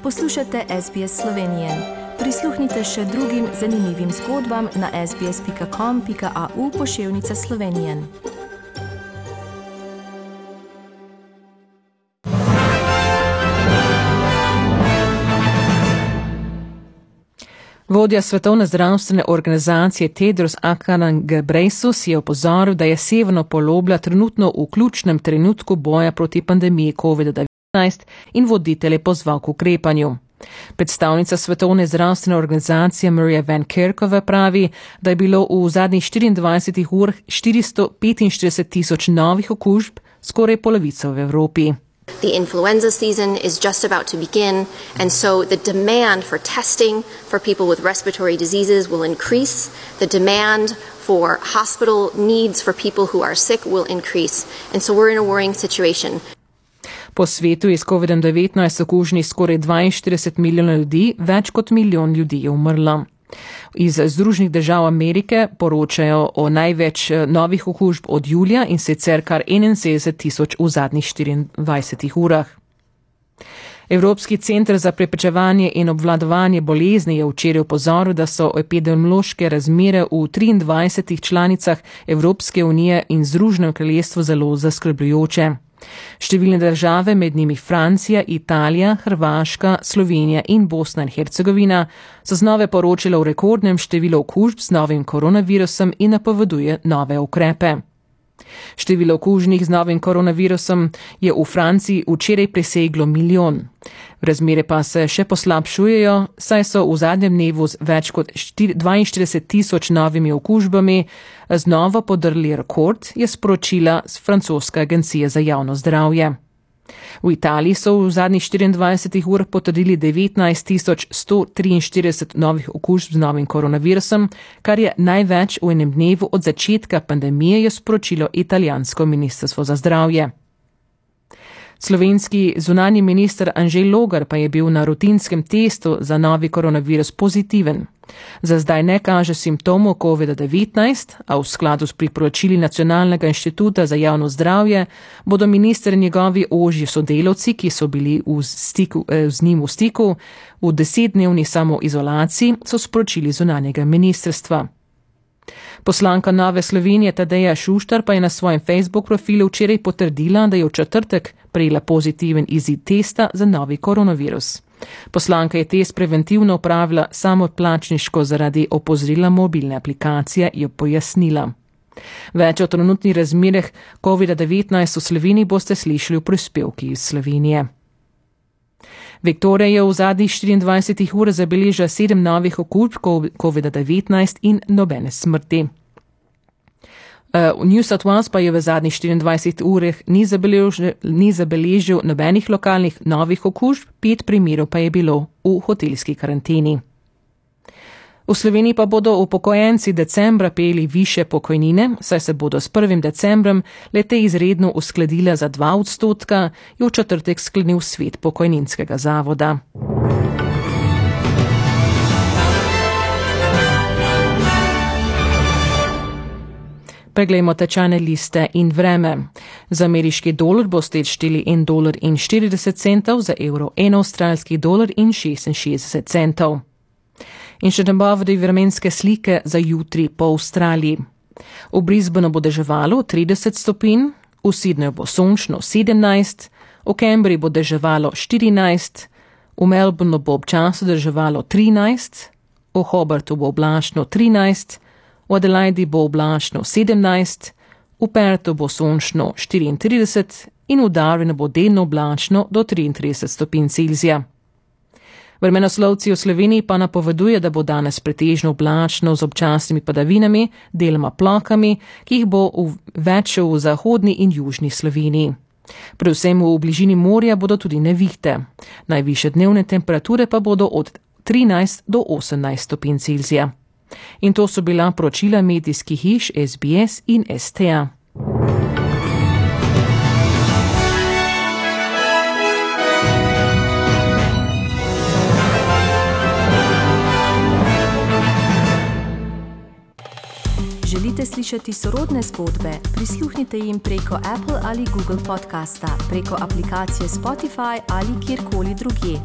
Poslušate SBS Slovenije. Prisluhnite še drugim zanimivim zgodbam na sbs.com.au/Slovenije. Vodja Svetovne zdravstvene organizacije Tedros Adhanom Ghebreyesus je opozoril, da je severno polobla trenutno v ključnem trenutku boja proti pandemiji COVID-19 in voditelje pozval k ukrepanju. Predstavnica Svetovne zdravstvene organizacije Maria Van Kerkhove pravi, da je bilo v zadnjih 24 urah 445,000 novih okužb, skoraj polovico v Evropi. The influenza season is just about to begin, and so the demand for testing for people with respiratory diseases will increase. The demand for hospital needs for people who are sick will increase, and so we're in a worrying situation. Po svetu je s COVID-19 okuženih skoraj 42 milijonov ljudi, več kot milijon ljudi je umrlo. Iz Združenih držav Amerike poročajo o največ novih okužb od julija in sicer kar 71,000 v zadnjih 24 urah. Evropski center za preprečevanje in obvladovanje bolezni je včeraj opozoril, da so epidemiološke razmere v 23 članicah Evropske unije in Združenem kraljestvu zelo zaskrbljujoče. Številne države, med njimi Francija, Italija, Hrvaška, Slovenija in Bosna in Hercegovina, so znova poročale o rekordnem številu okužb z novim koronavirusom in napoveduje nove ukrepe. Število okuženih z novim koronavirusom je v Franciji včeraj preseglo milijon. Razmere pa se še poslabšujejo, saj so v zadnjem dnevu z več kot 42,000 novimi okužbami znova podrli rekord, je sporočila francoska agencija za javno zdravje. V Italiji so v zadnjih 24 urah potrdili 19,143 novih okužb z novim koronavirusom, kar je največ v enem dnevu od začetka pandemije, je sporočilo italijansko ministrstvo za zdravje. Slovenski zunanji minister Anže Logar pa je bil na rutinskem testu za novi koronavirus pozitiven. Za zdaj ne kaže simptomov COVID-19, a v skladu s priporočili Nacionalnega inštituta za javno zdravje bodo minister in njegovi ožji sodelavci, ki so bili z njim v stiku, v 10-dnevni samoizolaciji, so sporočili zunanjega ministrstva. Poslanka Nove Slovenije Tadeja Šuštar pa je na svojem Facebook profilu včeraj potrdila, da je v četrtek prejela pozitiven izid testa za novi koronavirus. Poslanka je test preventivno opravila samoplačniško zaradi opozorila mobilne aplikacije, je pojasnila. Več o trenutnih razmerah COVID-19 v Sloveniji boste slišali v prispevki iz Slovenije. Viktorija je v zadnjih 24 urah zabeležila 7 novih okužb COVID-19 in nobene smrti. New South Wales pa je v zadnjih 24 urah ni zabeležil nobenih lokalnih novih okužb, 5 primerov pa je bilo v hotelski karanteni. V Sloveniji pa bodo upokojenci decembra prejeli višje pokojnine, saj se bodo s 1. decembrom le-te izredno uskladile za 2%, je v četrtek sklenil svet pokojninskega zavoda. Preglejmo tečajne liste in vreme. Za ameriški dolar boste odšteli $1,40, za evro $1 avstralski dolar in 66 centov. In še nabavljene vremenske slike za jutri po Avstraliji. V Brisbaneu bo deževalo 30 stopinj, v Sydneyju bo sončno 17, v Canberri bo deževalo 14, v Melbourneu bo občasno deževalo 13, v Hobartu bo oblačno 13, v Adelaidi bo oblačno 17, v Perthu bo sončno 34 in v Darwinu bo delno oblačno do 33 stopinj Celzija. Vremenoslovci v Sloveniji pa napoveduje, da bo danes pretežno oblačno z občasnimi padavinami, deloma plohami, ki jih bo več v zahodni in južni Sloveniji. Predvsem v bližini morja bodo tudi nevihte. Najvišje dnevne temperature pa bodo od 13 do 18 stopinj Celzija. In to so bila poročila medijskih hiš SBS in STA. Želite slišati sorodne zgodbe? Prisluhnite jim preko Apple ali Google podcasta, preko aplikacije Spotify ali kjerkoli drugje.